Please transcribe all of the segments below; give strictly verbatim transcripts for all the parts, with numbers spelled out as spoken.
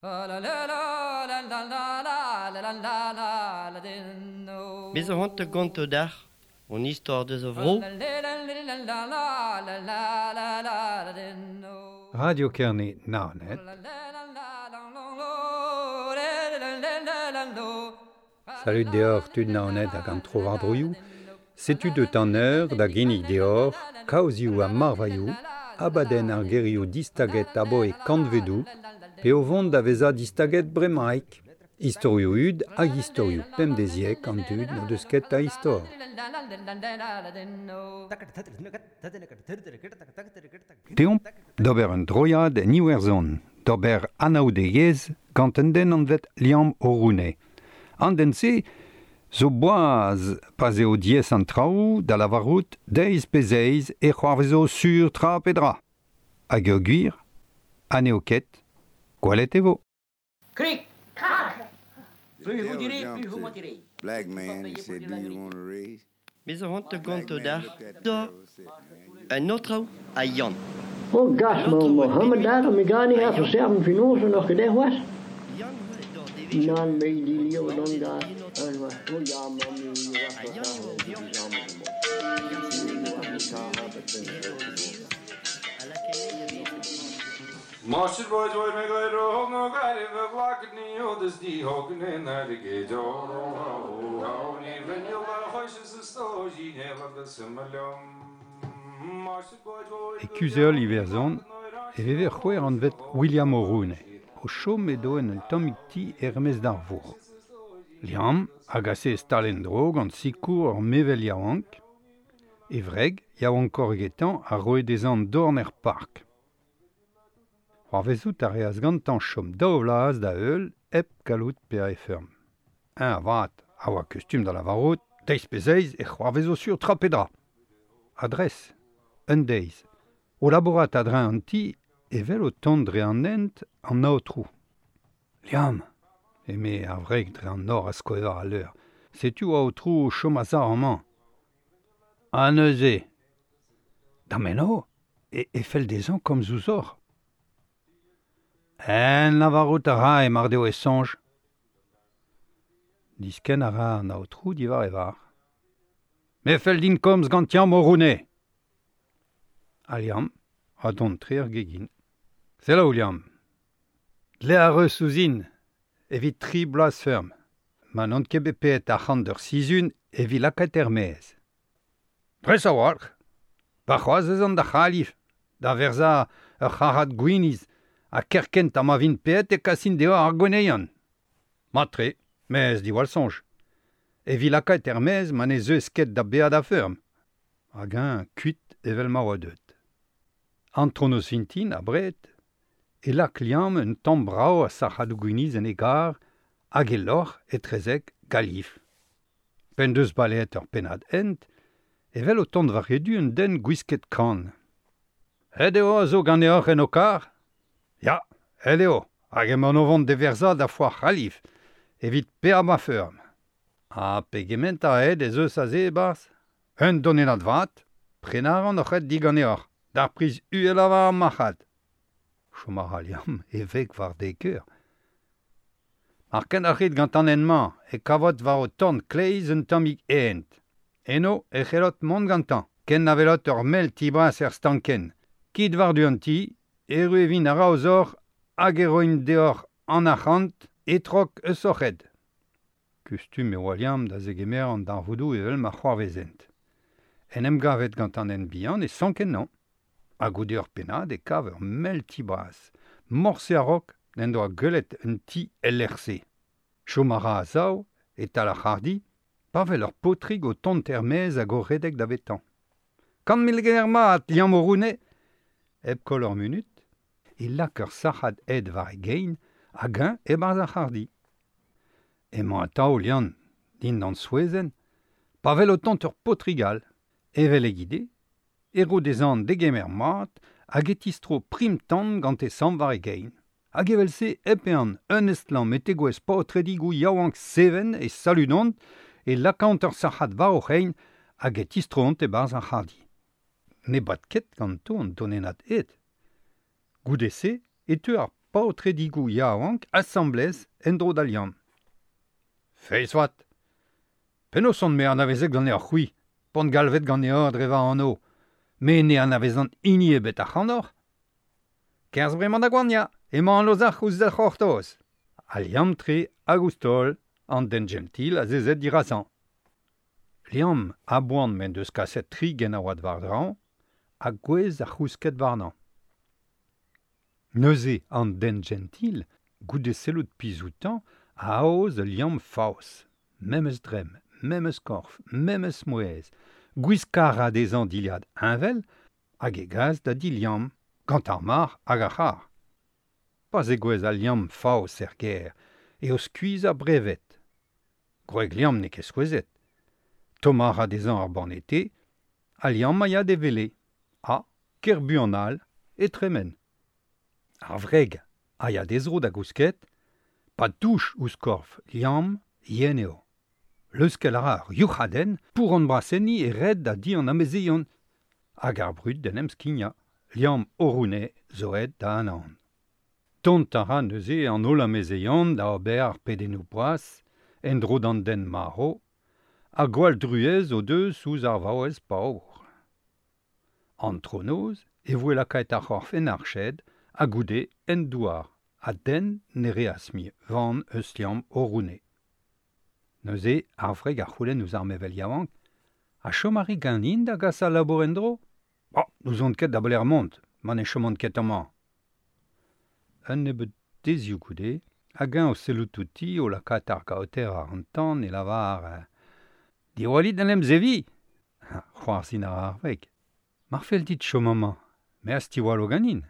Me zo c'hoant da gontañ deoc'h hon istor deus a vro. Radio Kerne Naoned. Salut deoc'h tud Naoned hag an tro-war-droioù. Setu deut an eur da ginnig deoc'h kaozioù ha marvailhoù, abadenn ar gerioù distaget aboe kantvedoù, pe o vont da vezañ distaget bremaik. Istorioù hud hag istorioù pemdeziek an dud n'o deus ket a istor. Deomp d'ober un droiad en Iwerzhon, d'ober anaoudegezh gant un den anvet Liam O'Rooney. An den-se zo boaz pa'z eo diaes an traoù da lavarout deiz pe zeiz e c'hoarvezo sur tra pe dra. Hag eo gwir, ha n'eo ket, gwelet e vo. Krik! Krak! Plus vous direz, plus vous mentirez. Black man, he said, do you want a raise? Me zo c'hoant da gontañ deoc'h da un aotrou ha Yann. Oh gas, ma Mohammed daar, me ga niet even serven finozen nog gedaan was. Nan me die leo dan daar. En was oh ja, man, Marshall boys boy me go ro no gare ve glak ni odes di hogne na ge do ro ni ven yo la khosh sto ji ne la de smalom Marshall boy boy E kuzheol Iwerzhon e veve c'hwec'h anvet William O'Rooney o chom edo en un tammig ti er-maez d'ar vourc'h. Liam a gase stal en-dro gant sikour ur mevel yaouank. E wreg yaouankoc'h egetañ a roe dezhañ dorn er park. C'hoarvezout a reas gantañ chom daou vloaz da heul hep gallout paeañ e feurm. Un avat a oa kustum da lavarout deiz pe zeiz e c'hoarvezo sur tra pe dra. Adres, un deiz, o labourat a-dreñv an ti evel o tont dre an hent an aotrou. Liam, eme ar wreg dre an nor a skoe war al leur, setu aotrou o chom a-sav amañ. Ha neuze, da meno, e, e fell dezhañ komz ouzhoc'h. En lavarout a ra e mar deo e soñj. Diskenn a ra an aotrou diwar e varc'h. Me fell din komz gant Liam O'Rooney. Ha Liam a dont tre ar gegin. Selaou Liam. Dle a reus ouzhin evit tri bloaz feurm. Ma n'on ket bet paeet arc'hant d'ur sizhun evit lakaat er-maez. Dres a-walc'h. Warc'hoazh ez an da C'halif, da verzañ ur c'harrad gwinizh ha kerkent ha ma vin paeet e kasin deoc'h ar gweneion. Mat-tre, mez diwall soñj. Evit lakaat er-maez ma ne zeuez ket da baeañ da feurm. Hag eñ kuit evel ma oa deut. Antronoz vintin abred, e lak Liam un tamm brav a sac'hadoù gwinizh en e gar hag e loc'h etrezek Galif. P'en deus baleet ur pennad hent, evel o tont war e du un den gwisket kann. Aet eo a zo ganeoc'h en ho karr? Ya, aet eo, hag emaon o vont d'e verzañ da foar C'halif, evit paeañ ma feurm. Ha pegement a ed ez eus aze e-barzh? Un donennad vat, prenañ a ran hoc'h ed diganeoc'h, d'ar priz uhelañ war ar marc'had. Chom a ra Liam e veg war dek eur. Mar kendalc'hit gant an hent-mañ e kavot war ho torn kleiz un tammig hent. Eno e c'hellot mont gantañ, ken na welot ur mell ti bras er stankenn. Kit war-du an ti, erru e vin a-raozoc'h hag e roin deoc'h an arc'hant e-trok eus hoc'h ed. Kustum e oa Liam da zegemer an darvoudoù evel ma c'hoarvezent. En em gavet gant an hent bihan e sank ennañ. Ha goude ur pennad e kav ur mell ti bras. Morse a-raok n'en doa gwelet un ti el lec'h-se. Chom a ra a-sav, e-tal ar c'harrdi, pa wel ur paotrig o tont er-maez hag o redek davetañ. Kant mil ger mat, Liam O'Rooney! Hep koll ur munut, e lak ur sac'had ed war e gein hag eñ e-barzh ar c'harrdi. Emañ atav Liam dindan souezhenn, pa wel o tont ur paotrig all, evel egile, e ro dezhañ degemer mat hag e tistro prim-tan gant e samm war e gein. Hag evel-se hep ehan un estlamm e tegouezh paotredigoù yaouank seven e saludont e lakaont ur sac'had war o c'hein hag e tistroont e-barzh ar c'harrdi. Ne bad ket ganto an donennad ed. Goude-se e teu ar paotredigou yaouank asamblez en-dro da Liamm. Feiz vat. Penaos on me anavezet ganeoc'h c'hwi, p'on galvet ganeoc'h dre va anv, me ne anavezan hini ebet ac'hanoc'h. Kerzh bremañ da goaniañ, emañ an ozhac'h ouzh da c'hortoz. Ha Liamm-tre hag ouzh taol, an den gentil azezet dirazañ. Liamm a-boan m'en deus kaset tri genaouad war-draoñ, ha gwez ar c'housket warnañ. Neuze an den gentil, goude sellout pizh outañ, a aoz ul liamm faos, memes dremm, memes korf, memes mouezh, gwiskañ a ra dezhañ dilhad heñvel hag e gas da di Liamm, gant ar marc'h hag ar c'harr. Pa zegouezh al liamm faos er gêr, eo skuizh ha brevet. Gwreg Liamm n'eo ket souezhet. Tommañ a ra dezhañ ar banne-te, ha Liamm a ya d'e wele. Ha, ker buan all, e tremen. Ar wreg a ya d'he zro da gousket, pa douch ouzh korf Liamm, yen eo. Leuskel a ra ur youc'hadenn pour an brasenniñ e red da di an amezeion. Hag ar brud d'en em skignañ, Liamm o roune zo aet da anaon. Dont a ra neuze an holl amezeion da ober ar pedennoù bras, en-dro d'an den marv, ha gwall druez o deus ouzh ar vaouez paour. Antronoz e voe lakaet ar c'horf en arched ha goude en douar, ha den ne reas mui van eus Liamm o roune. Neuze ar wreg a c'houlenn ouzh ar mevel yaouank, ha chom a ri ganin da gas al labour en-dro? Bon, n'ouzon ket da belec'h mont, ma ne chomont ket amañ. Un nebeud deizioù goude, hag eñ o sellout outi o lakaat ar gaoter àr an tan e lavar Diwallit d'en em zeviñ. C'hoarzhin a ra ar wreg. Mar fell dit chom amañ, me az tiwallo ganin.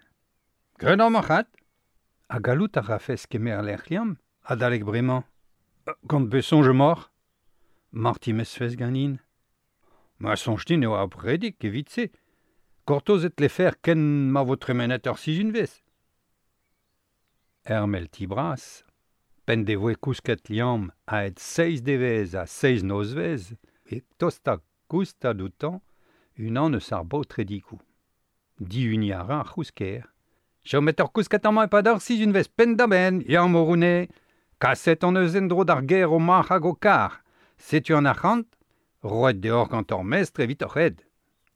Graet eo marc'had. Ha gallout a rafes kemer lec'h Liamm, adalek bremañ. Gant pe soñj emaoc'h? Mar timezfes ganin. Ma soñj din eo abredik evit se. Gortoz e tlefer ken ma vo tremenet ur sizhunvezh. Er mell ti bras, p'en devoe kousket Liamm a-hed seizh devezh ha seizh nozvezh, e tosta goustad outañ unan eus ar baotredigoù. Dihuniñ a ra ar c'housker. Chomet ur kousket amañ e-pad ur sizhunvezh penn-da-benn, Liamm o roune. Kaset hon eus en-dro d'ar gêr ho marc'h hag ho karr. Setu an arc'hant, roet deoc'h gant hor mestr evit hoc'h ed.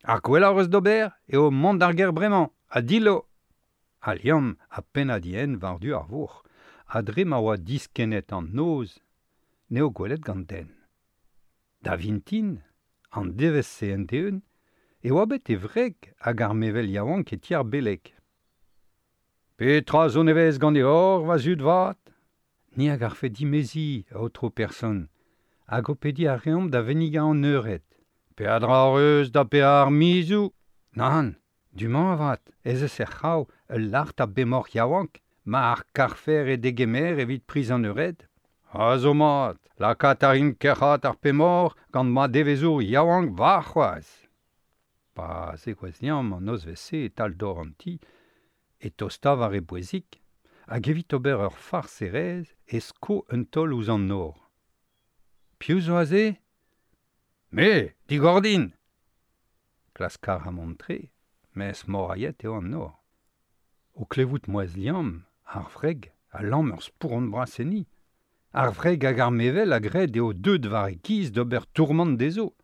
Ar gwellañ eus d'ober eo mont d'ar gêr bremañ, ha dillo. Ha Liamm ha pennad-ien war-du ar vourc'h, ha dre ma oa diskennet an noz, n'eo gwelet gant den. Da vintin, an devezh-se end-eeun, e oa bet e wreg hag ar mevel yaouank e ti ar beleg. Petra zo nevez ganeoc'h, va zud vat? Ni a garfe dimeziñ, aotrou person, hag ho pediñ a reomp da vennigañ an eured. Peadra hoc'h eus da paeañ ar mizoù? Nann, du-mañ avat, ez eus er c'hraou ul lart a bemoc'h yaouank, ma ar karfer e degemer evit priz an eured. Ha zo mat, lakaat a rin kerc'hat ar pemoc'h gant ma devezour yaouank warc'hoazh. Pa zegouezh Liamm an nozvezh-se e-tal dor an ti, e tosta war e bouezik, hag evit ober ur farserezh e sko un taol ouzh an nor. Piv zo aze? Me, digor din! Klask a ra mont-tre, mes morailhet eo an nor. O klevout mouezh Liamm, ar wreg a lamm ur spouron bras enni. Ar wreg hag ar mevel a gred eo deuet war e giz d'ober tourmant dezho.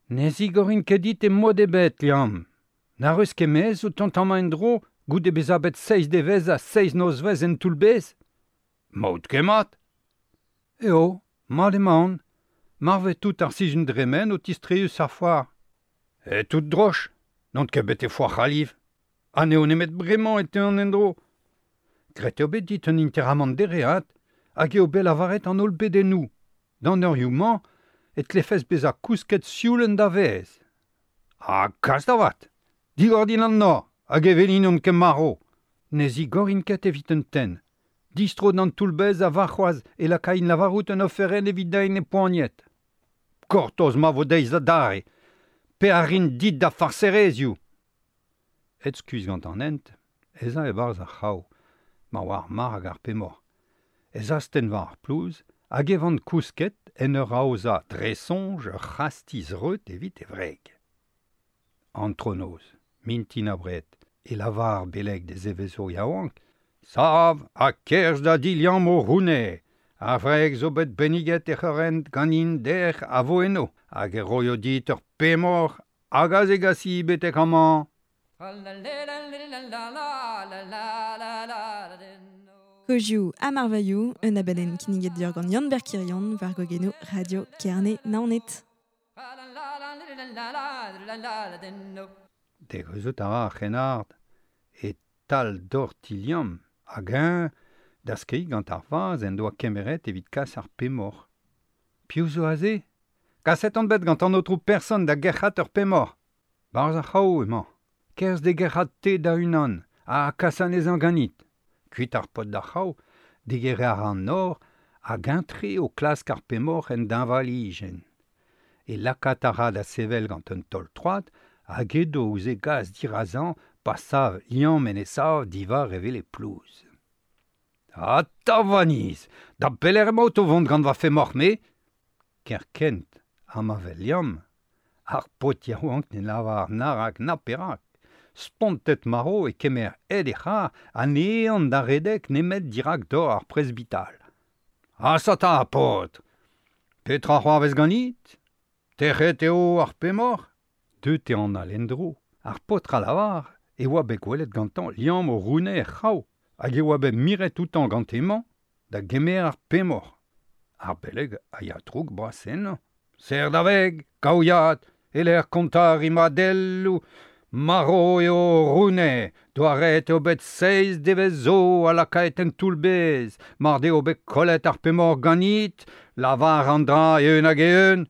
Ne zigorin ket dit e mod ebet, Liamm. Na reus ket mezh o tont amañ en-dro goude bezañ bet seizh devezh ha seizh nozvezh en toull-bez? Maout ket mat. Eo, mat emaon. Marvet tout ar sizhun dremen o tistreiñ eus ar foar. E tout droch, n'on ket bet e foar C'haliv. Ha n'eo nemet bremañ e teuan en-dro. Graet eo bet dit un interamant dereat, hag eo bet lavaret an holl bedennoù. D'an eurioù-mañ e tlefes bezañ kousket sioul en da vez. Ha kas da vat! Digor din an nor, hag e welin on ket marv. Ne zigorin ket evit un tenn. Distro d'an toull-bez ha warc'hoazh e lakain lavarout un oferenn evit da ene poaniet. Gortoz ma vo deiz adarre, pe a rin dit da farserezioù. Et skuizh gant an hent, ez a e-barzh ar c'hraou, ma oa ar marc'h hag ar pemoc'h. Ez astenn war ar plouz hag e van kousket en ur aozañ dre soñj ur c'hastiz reut evit e wreg. Antronoz, mintin abred, e lavar ar beleg d'e zevezour yaouank, Sav ha kerz da di Liamm o roune. Ar vreg zo bet benniget e c'horent ganin der a vo eno. Hag e roio dit ur pemor hag a zegasi betek amañ. Kozioù ha marvailhoù, un abadenn kinniget deoc'h gant Yann Berkirion war gogenoù Radio Kerne Naoned. Degouezhout a ra ar c'hrennard e tal dor ti Liamm hag eñ da skeiñ gant ar vaz en doa kemeret evit kas ar pemor. Piv zo aze? Kaset on bet gant an aotrou person da gerc'hat ur pemor. Barzh ar c'hav emañ. Kerzh de gerc'hat te da unan ha kas anezhañ ganit. Kuit ar paotr d'ar c'hav, digeriñ a ra an nor hag eñ-tre o klask ar pemor en deñvalijenn. E lakaat a ra da sevel gant un taol troad hag edo ouzh e gas dirazañ pa sav Liamm en e sav diwar evel e plouz. Ha tavaniz, da belec'h emaout o vont gant va femoc'h-me? Kerkent ha ma vel Liamm, ar paotr yaouank ne lavar na rak na perak. Spontet maro e kemer ed e c'har ha ne ehan da redek nemet dirak dor ar presbital. Ha sata, paotr! Petra c'hoarvez ganit? Tec'het eo ar pemoc'h? Deut eo an all en-dro. Ar paotr a lavar e oa bet gwelet gantañ Liamm o roune er c'hav hag e oa bet miret outañ gant hemañ da gemer ar pemoc'h. Ar beleg a ya droug bras ennañ. Serr da veg, kaouiad, e-lec'h kontañ rimadelloù, maro eo roune, doaret eo bet seizh devezh zo ha lakaet en toull-bez, mar deo bet kollet ar pemoc'h ganit, lavar an dra eeun hag eeun.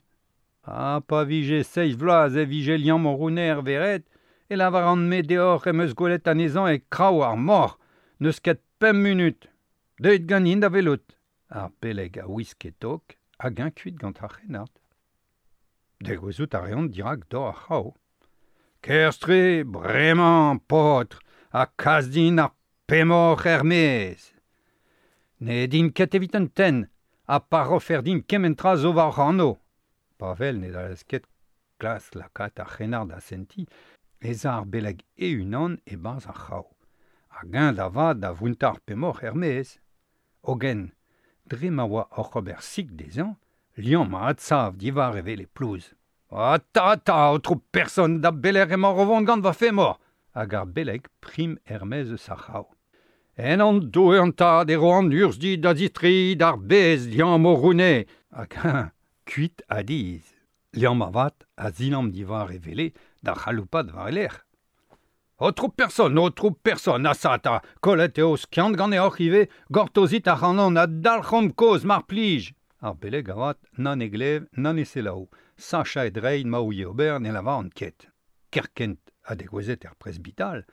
Ha pa vije seizh vloaz e vije Liamm o roune er vered, e lavar an me deoc'h em eus gwelet anezhañ e kraou ar moc'h, n'eus ket pemp munut. Deuit ganin da welout. Ar beleg a wisk e tok hag eñ kuit gant ar c'hrennard. Degouezhout a reont dirak dor ar c'hav. Kerzh-tre, bremañ, paotr, ha kas din ar pemoc'h er-maez. Ne din ket evit un tenn, ha pa rofer din kement tra zo war anv. Pavel ne dalez ket klask lakaat ar c'hrennard da sentiñ, ez a ar beleg e-unan e-barzh ar c'hav. Hag eñ da vat da vountañ ar pemoc'h er-maez. Hogen, dre ma oa oc'h ober sik dezhañ, Liamm a adsav diwar evel e plouz. Ata, ata, aotrou person, da belec'h emañ o vont gant va femoc'h? Hag ar beleg prim er-maez eus ar c'hav. En an Doue an tad e ro an urzh dit da zistreiñ d'ar bez Liamm o roune. Hag eñ kuit a dizh. Liamm avat a zilamm diwar e wele da c'haloupat war e lerc'h. Aotrou person, aotrou person, asa ta, kollet eo skiant ganeoc'h ivez, gortozit ac'hanon ha dalc'homp kozh mar plij. Ar beleg avat na ne glev, na ne selaou. Sachañ e dreid ma ouie ober ne lavaran ket. Kerkent ha degouezhet er presbital,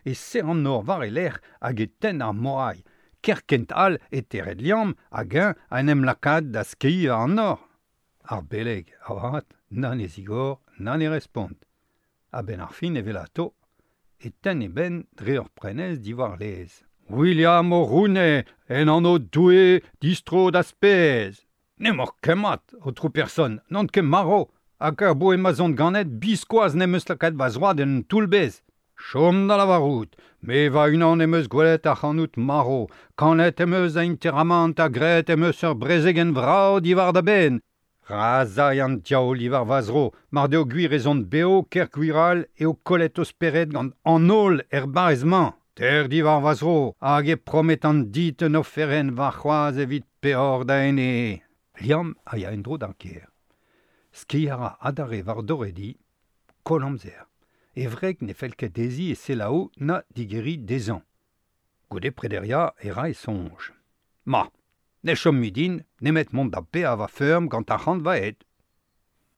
e serr an nor war e lerc'h hag e tenn ar morailh. Kerkent all e tered Liamm hag eñ a en em lakaat da skeiñ an nor. Ar beleg avat na ne zigor, na ne respont. A-benn ar fin evelato, e tenn e benn dre ur prenez diwar laez. William o roune, en anv Doue, distro da spez. N'emaoc'h ket mat, aotrou person, n'on ket marv, hag ar boe ma 'z on ganet biskoazh n'em eus lakaet va zroad en un toull-bez. Chom da lavarout, me va-unan em eus gwelet ac'hanout marv, kanet em eus a interamant ha graet em eus ur brezegenn vrav diwar da benn. Ra 'z ay an diaoul diwar va zro, mar deo gwir ez on bev ker gwir all eo kollet o spered gant an holl er barrez-mañ. Ter diwar va zro, hag e prometan dit un oferenn warc'hoazh evit peoc'h da ene. Liamm a ya en-dro d'ar gêr. Skeiñ a ra adarre war dor e di, koll amzer. E wreg ne fell ket dezhi e selaou na digeriñ dezhañ. Goude prederiañ e ra e soñj. Ma, ne chom mui din nemet mont da paeañ va feurm gant arc'hant va ed.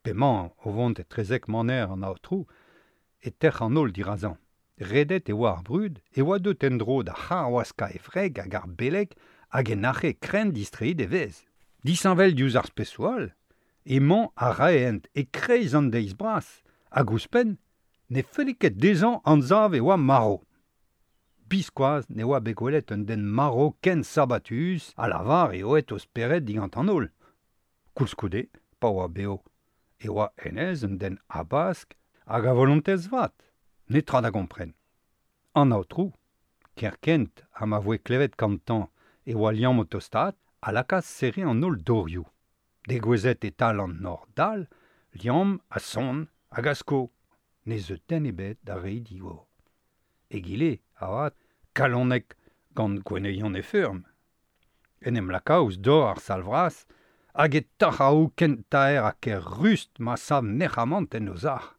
P'emañ o vont etrezek maner an aotrou, e tec'h an holl dirazañ. Redet e oa ar brud, e oa deut en-dro da c'harwaskañ e wreg hag ar beleg hag e nac'he krenn distreiñ d'e vez. Disheñvel diouzh ar spesoù all, emañ a raent e-kreiz an deiz bras, hag ouzhpenn ne felle ket dezhañ anzav e oa marv. Biskoazh ne oa bet gwelet un den marv ken sabatuz a lavar eo aet o spered digant an holl. Koulskoude, pa oa bev, e oa hennezh un den habask hag a volontez vat. Netra da gompren. An aotrou, Kerkent ha ma voe klevet gantañ e oa Liamm o tostaat a lakaas serriñ an holl dorioù. Degouezhet e-tal an nor dal, Liamm a son hag a sko. Ne zeu den ebet da reiñ digor. Egile, avat, kalonek gant gweneion e feurm. En em laka ouzh dor ar sal vras hag e tarc'haoù ken taer ha ker rust ma sav nec'hamant en o sac'h.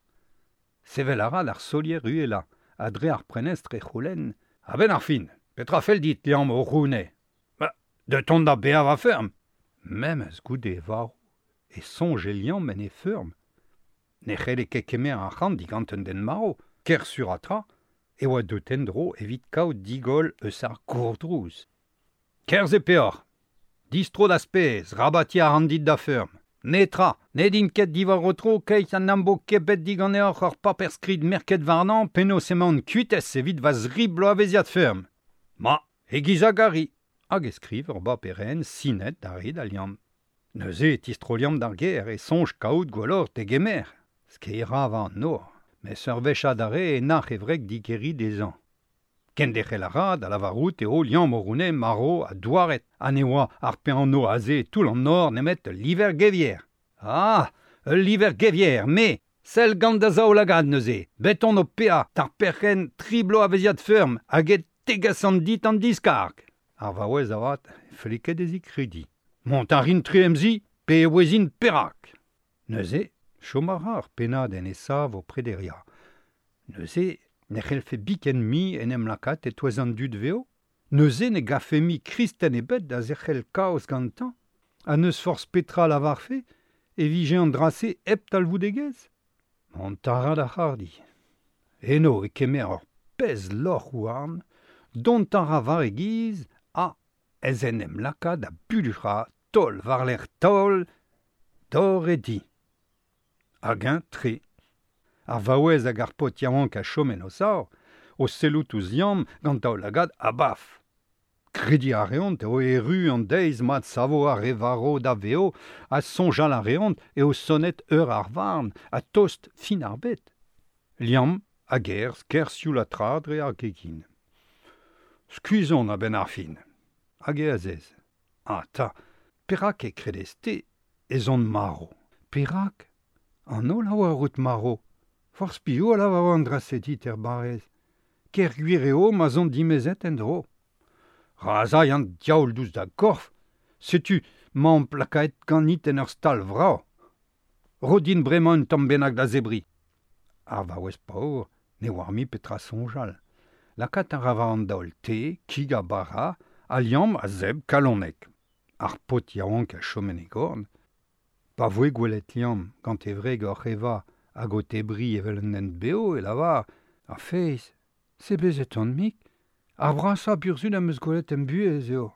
Sevel a ra d'ar solier uhelañ ha dre ar prenestr e c'houlenn A-benn ar fin, petra fell dit, Liamm o roune? Ba, deut on da bezañ va feurm. Memes goude e varv e soñje Liamm en e feurm. Ne c'helle ket kemer arc'hant digant un den marv, ker sur ha tra, e oa deut en-dro evit kaout digoll eus ar gourdrouz. Kerzh e peoc'h, distro da spez, rabatiñ a ran dit da feurm. Netra, ne din ket diwar ho tro keit an am bo ket bet diganeoc'h ur paper-skrid merket warnañ penaos emaon kuitez evit va zri bloavezhiad feurm. Ma, e-giz a gari. Hag e skriv ur baperenn sinet da re da Liamm. Neuze e tistro Liamm d'ar gêr e soñj kaout gwelloc'h degemer. Skeiñ ra war an nor, mes ur wech adarre e nac'h e wreg digeriñ dezhañ. Kenderc'hel a ra da lavarout eo Liamm o roune marv ha douaret ha ne oa ar pe anv aze e toull an nor nemet ul liver gevier. Ah, ul liver gevier, me, sell gant da zaoulagad neuze, bet on o paeañ d'ar perc'henn tri bloavezhiad feurm hag e tegasan dit an diskarg. Ar vaouez avat ne felle ket dezhi krediñ. Mont a rin tre em zi pe e ouezin perak. Neuze, chom a ra ur pennad en e sav o prederiañ. Neuze, ne c'hellfe biken mui en em lakaat e-touez an dud vev. Neuze ne gavfe mui kristen ebet da zerc'hel kaoz gantañ. Ha n'eus forzh petra lavarfe e vije an dra-se hep talvoudegezh. Mont a ra d'ar c'harrdi. Eno e kemer ur pezh loc'h houarn, dont a ra war e giz ha ez en em laka da bulluc'hañ taol war-lerc'h taol dor e di. Hag eñ tre. Ar vaouez hag ar paotr yaouank a chom en o sav, o sellout ouzh Liamm gant daoulagad abaf. Krediñ a reont eo erru an deiz ma savo ar re varv da vev ha soñjal a reont eo sonet eur ar varn ha tost fin ar bed. Liamm a gerzh ker sioul ha tra dre ar gegin. Skuizh on a-benn ar fin. Hag e azez. Ah 'ta, perak e kredez-te ez on marv? Perak? An holl a oar out marv. Forzh piv a lavaro an dra-se dit er barrez. Ker gwir eo ma 'z on dimezet en-dro. Ra 'z ay an diaoul diouzh da gorf, setu 'maomp lakaet ganit en ur stal vrav. Ro din bremañ un tamm bennak da zebriñ. Ar vaouez paour ne oar mui petra soñjal. Lakaat a ra war an daol te, kig ha bara, ha Liamm a zebr kalonek. Ar paotr yaouank a chom en e gorn. Pa voe gwelet Liamm gant e wreg oc'h evañ hag o tebriñ evel un den bev e lavar Ar feiz, sebezet on mik, ar brasañ burzhud am eus gwelet em buhez eo.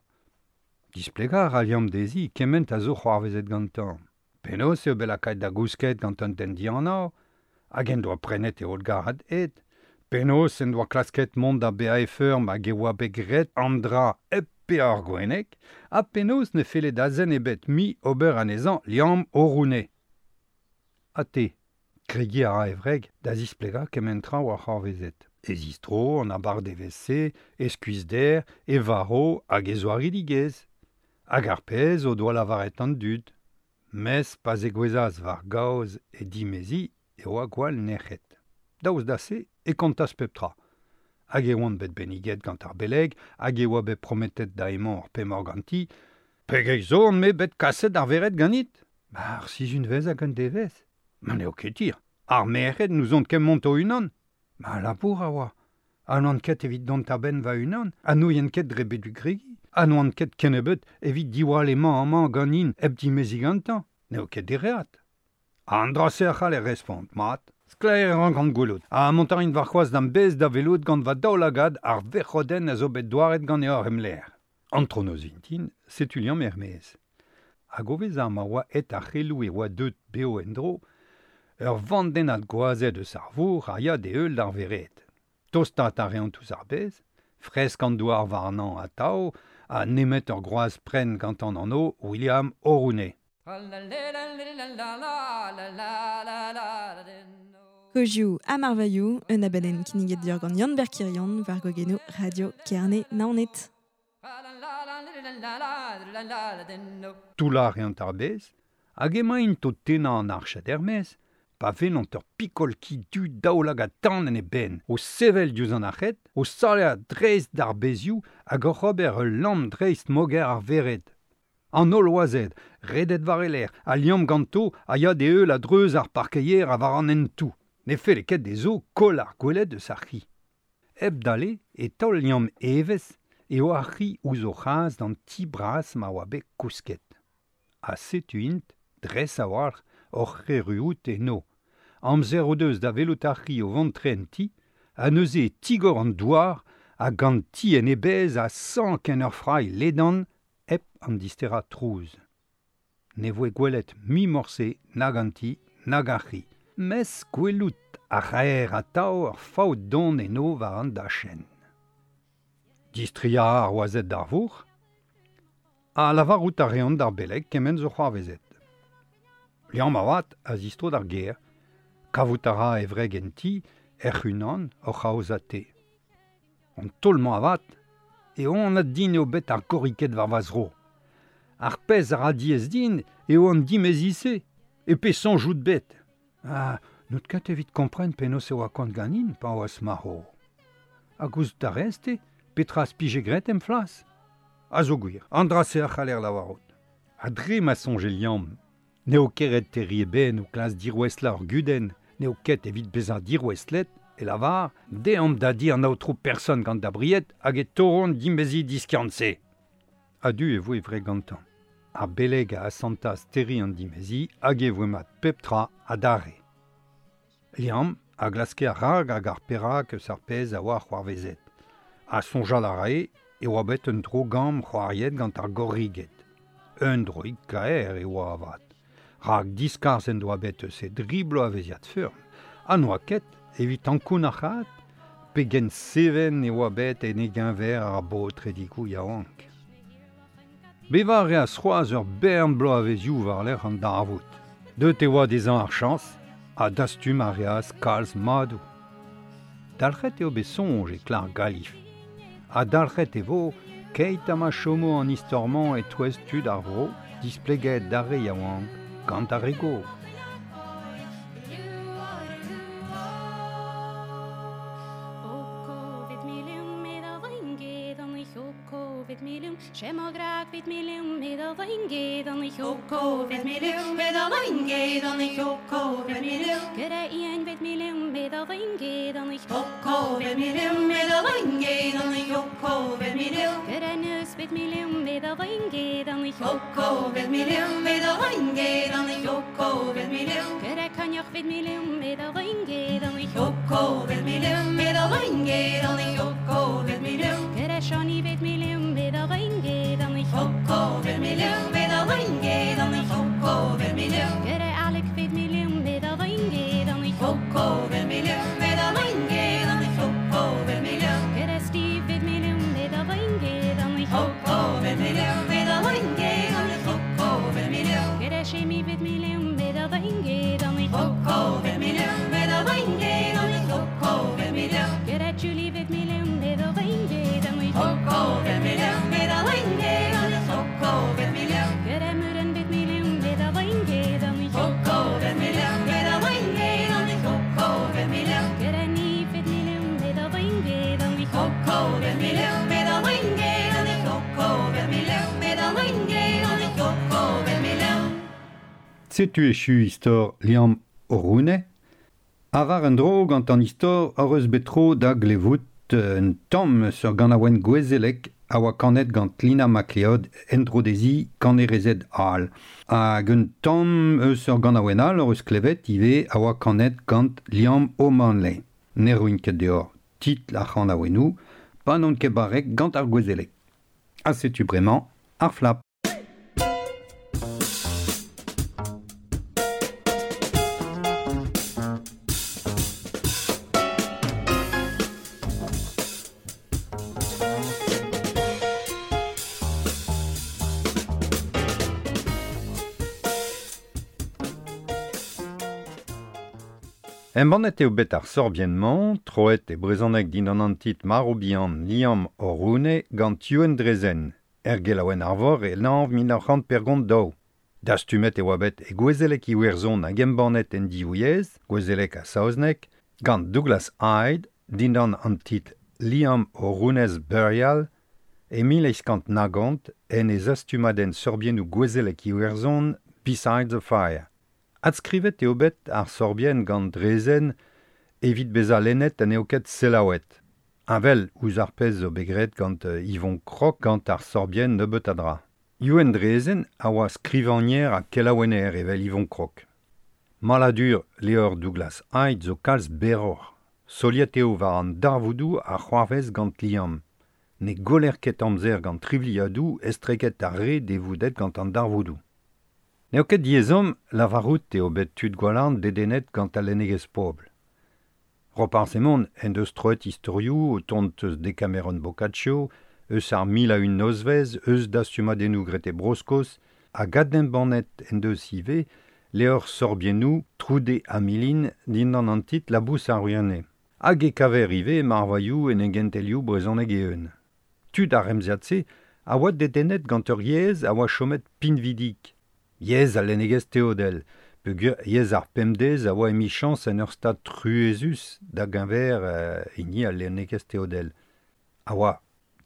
Displegañ a ra Liamm dezhi kement a zo c'hoarvezet gantañ. Penaos eo bet lakaet da gousket gant un den dianav, hag en doa prenet e holl garrad ed. Penaos en doa klasket mont da bezañ e feurm hag e oa bet graet an dra hep paeañ ar gwenneg, ha penaos ne felle da zen ebet mui ober anezhañ Liamm o roune. Ha te, kregiñ a ra e wreg da zisplegañ kement tra oa c'hoarvezet. E zistro, an abardaevezh-se, e skuizhder, e varv hag e zoaridigezh. Hag ar pezh o doa lavaret an dud. Mes pa zegouezhas war gaoz e dimeziñ e oa gwall nec'het. Daoust da se e kontas pep tra. Hag e oant bet benniget gant ar beleg, hag e oa bet prometet da emañ ur pemoc'h ganti. Pegeit zo on-me bet kaset d'ar vered ganit? Ba ar sizhunvezh hag un devezh. Ma n'eo ket hir. Ar merc'hed n'ouzont ket mont o-unan. Ma labour a oa. Ha n'oan ket evit dont a-benn va-unan, ha n'ouien ket dre bet gregiñ, ha n'oan ket kennebeut evit diwall emañ amañ ganin hep dimeziñ gantañ. N'eo ket dereat. An dra-se a c'haller respont, mat. Sklaer e rankan gwelout. Ha mont a rin warc'hoazh d'am bez da welout gant va daoulagad ar verc'hodenn a zo bet douaret ganeoc'h em lec'h. Antronoz vintin, setu Liamm er-maez. Hag o vezañ ma oa aet ar c'heloù e oa deut bev en-dro, ur vandennad gwazed eus ar vourc'h a ya d'e heul d'ar vered. Tostaat a reont ouzh ar bez, fresk an douar warnañ atav, ha nemet ur groaz prenn gantañ an anv William O'Rooney. Kozioù ha marvailhoù, un abadenn kinniget deoc'h gant Yann Berkirion war gogenoù Radio Kerne Naoned. Toullañ a reont ar bez, hag emaint o tennañ an arched er-maez, pa welont ur pikol ki du daoulagad tan en e benn, o sevel diouzh an arched, o salañ dreist d'ar bezioù hag oc'h ober ul lamm dreist moger ar vered. An holl oazed, redet war e lerc'h, a liamm ganto a ya d'e heul a-dreuz ar parkeier ha war an hentoù. Ne felle ket dezho koll ar gweled eus ar c'hi. Hep dale e taol liamm evezh eo ar c'hi ouzh o c'has d'an ti bras ma oa bet kousket. Ha setu int, dres a-walc'h, oc'h erruout eno. Amzer o deus da welout ar c'hi o vont tre en ti, ha neuze e tigor an douar hag an ti en e bezh a sank en ur frailh ledan hep an disterañ trouz. Ne voe gwelet mui morse nag an ti nag ar c'hi. Mes gwelout a raer atav ur faout don eno war an dachenn. Distriañ ar oazed d'ar vourc'h, ha lavarout a reont d'ar beleg kement zo c'hoarvezet. Liamm avat a zistro d'ar gêr, kavout a ra e wreg en ti, hec'h-unan oc'h aozañ te. An taol-mañ avat, eo anat din eo bet ar gorriked war va zro. Ar pezh a ra diaes din eo an dimezi-se, e pe soñjout bet. Ah, n'out ket evit kompren penaos e oa kont ganin pa oas marv. Ha gouzout a rez te, petra az pije graet em flas? A zo gwir, an dra-se a c'haller lavarout. Ha dre ma soñje Liamm, n'eo ket ret terriñ e benn o klask dirouestlañ ur gudenn, n'eo ket evit bezañ dirouestlet, e lavar, deomp da di an aotrou person gant da bried hag e toront dimezi diskiant-se. A-du e voe wreg gantañ. Ar beleg a asantas terriñ an dimezi hag e voe mat pep tra adarre. Liamm a glaske ar rag hag ar perak eus ar pezh a oa c'hoarvezet. Ha soñjal a rae e oa bet un dro-gamm c'hoariet gant ar gorriged. Un droig kaer e oa avat. Rak diskarzh en doa bet eus e dri bloavezhiad feurm. Ha n'oa ket evit ankounac'haat pegen seven e oa bet en e geñver ar baotredigoù yaouank. Bevañ a reas c'hoazh ur bern bloavezioù war-lerc'h an darvoud. Deut e oa dezhañ ar chañs ha dastum a reas kalz madoù. Dalc'het eo bet soñj e klar Galif. Ha dalc'het e vo keit ha ma chomo an istor-mañ e-touez tud ar vro displeget d'ar re yaouank gant ar re gozh. Setu echu istor Liamm O'Rooney. Ha war un dro gant an istor hor eus bet tro da glevout un tamm sur ganaouenn gouezelek a oa kanet gant Lina MacLeod en-dro dezhi kanerezed all. Hag un tamm eus ur ganaouenn all hor eus klevet ivez a oa kanet gant Liam O'Manley. Ne roin ket deoc'h titl ar c'hanaouennoù, pa n'on ket barrek gant ar gouezelek. Ha setu bremañ ar flap. Embannet eo bet ar sorbienn-mañ, troet e brezhoneg dindan an titl Marv-bihan Liam O'Rooney gant Youenn Drezen, er gelaouenn Arvor e lanv mil nav c'hant pergont daou. Dastumet e oa bet e gouezelek Iwerzhon hag embannet en div yezh, gouezelek ha saozneg, gant Douglas Hyde dindan an titl Liam O'Rooney's Burial e mil eizh kant nagont en e zastumadenn sorbiennoù gouezelek Iwerzhon Beside the Fire. Adskrivet eo bet ar sorbienn gant Drezen evit bezañ lennet ha n'eo ket selaouet. Heñvel ouzh ar pezh zo bet graet gant Yvon Krok gant ar sorbienn nebeut a dra. Youenn Drezen a oa skrivagner ha kelaouenner evel Yvon Krok. Maladur levr Douglas Hyde zo kalz berroc'h. Soliet eo war an darvoudoù a c'hoarvez gant Liam. Ne goller ket amzer gant trivliadoù estreget ar re devoudet gant an darvoudoù. N'eo ket diezhomm lavarout eo bet tud Gwalarn dedennet gant al lennegezh pobl. Roparz Hemon en deus troet istorioù o tont eus Decameron Boccaccio, eus ar mil a un nozvezh, eus dastumadennoù graet e Bro-Skos, hag adembannet en deus ivez levr sorbiennoù Troude ha Milin dindan an titl Labous ar Ruane. Hag e kaver ivez marvailhoù en engentelioù brezhoneg eeun. Tud ar remziad-se a oa dedennet gant ur yezh a oa chomet pinvidik. Yezh al lennegezh teodel, peogwir yezh ar pemdez a oa emichañs en ur stad truezus da geñver euh, hini al lennegezh teodel. A oa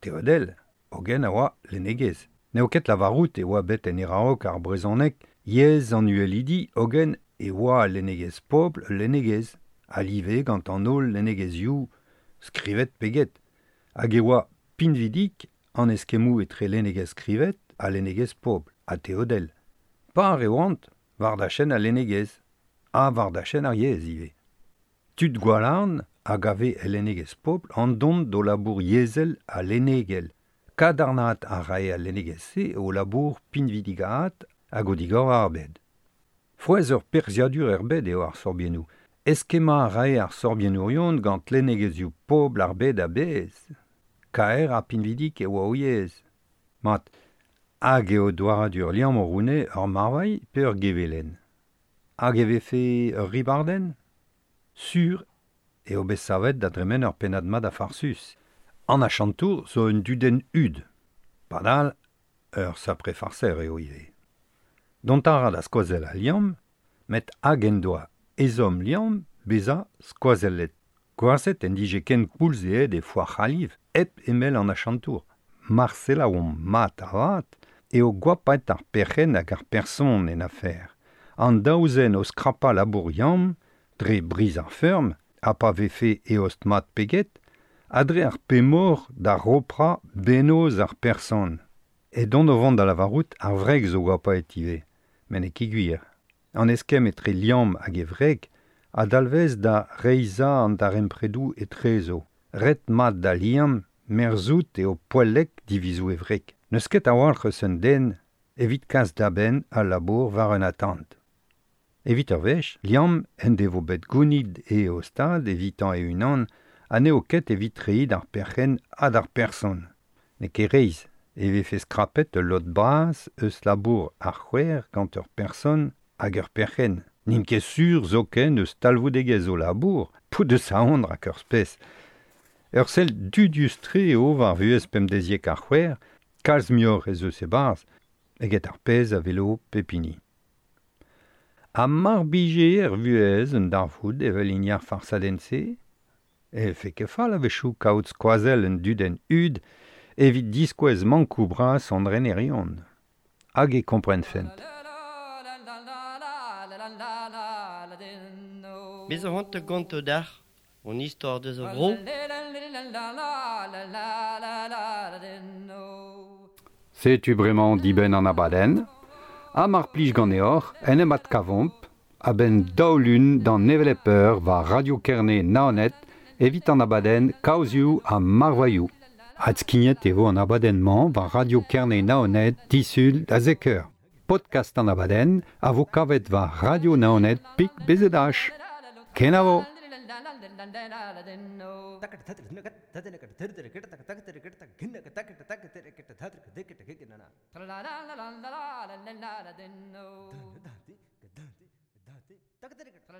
teodel, hogen a oa lennegezh. N'eo ket lavarout e oa bet en eraok ar brezhoneg yezh an uhelidi, hogen e oa al lennegezh pobl ul lennegezh, a live gant an holl lennegezhioù skrivet pe get. Hag e oa pinvidik an eskemmoù etre lennegezh skrivet ha lennegezh pobl, ha teodel. Par e oant war dachenn al lennegezh, ha war dachenn ar yezh ivez. Tud Gwalarn a gave el lennegezh pobl an dont d'o labour yezhel ha lennegel. Kadarnaat a rae al lennegezh-se o labour pinvidigaat hag o digor ar bed. Frouezh ur perzhiadur er bed eo ar sorbiennoù. Eskemmañ a rae ar sorbiennourion gant lennegezhioù pobl ar bed a-bezh. Kaer ha pinvidik e oa o yezh. Mat, hag eo douaradur Liam O'Rooney ur marvailh pe ur gevelenn. Hag e vefe ur ribardenn? Sur eo bet savet da dremen ur pennad mat a farsus. An achantour zo un dudenn hud. Padal, ur sapre farser eo ivez. Dont a ra da skoazell a Liam, met hag en doa ezhomm Liam bezañ skoazellet. Gwazet en dije ken koulz aet e foar c'haliv hep emell an achantour. Marcela omp mat avat eo goapaet ar perc'henn hag ar person en afer. An daouzen o skrapañ labour Liam, dre briz ar feurm, ha pa vefe eost mat peget, ha dre ar pemor da roprañ bennozh ar person. E dont o vont da lavarout ar wreg zo goapaet ivez, met n'eo ket gwir. An eskemm etre Liam hag e wreg a dalvez da reizhañ an darempredoù etrezo. Ret mat da Liam merzout eo poellek divizoù e wreg. N'eus ket a-walc'h eus un den evit kas da benn al labour war un atant. Evit ur wech, Liam en devo bet gounid e eostad evitañ e-unan ha n'eo ket evit reiñ d'ar perc'henn ha d'ar person. N'eo ket reizh e vefe skrapet ul lod bras eus labour ar c'houer gant ur person hag ur perc'henn. N'int ket sur zoken eus talvoudegezh o labour, pout deus aon rak ur spes. Ur sell dudius-tre eo war vuhez pemdeziek ar c'houer, kalz muioc'h ez eus e-barzh eget ar pezh a welo pep hini. Ha mar bije er vuhez un darvoud evel hini ar farsadenn-se, e fe ket fall a-wechoù kaout skoazell un dudenn hud evit diskouez mankoù bras an renerion. Hag e komprenfent. Bez a c'hoant gonto dac'h, on istor deus a vro. Setu bremañ dibenn an abadenn, ha mar plij ganeoc'h en em adkavomp a-benn daou lun d'an hevelep eur war Radio Kerne Naoned evit an abadenn Kaozioù ha Marvailhoù. Adskignet e vo an abadenn-mañ war Radio Kerne Naoned disul da zek eur. Podcast an abadenn a vo kavet war Radio Naoned pik B Z H. Kenavo! La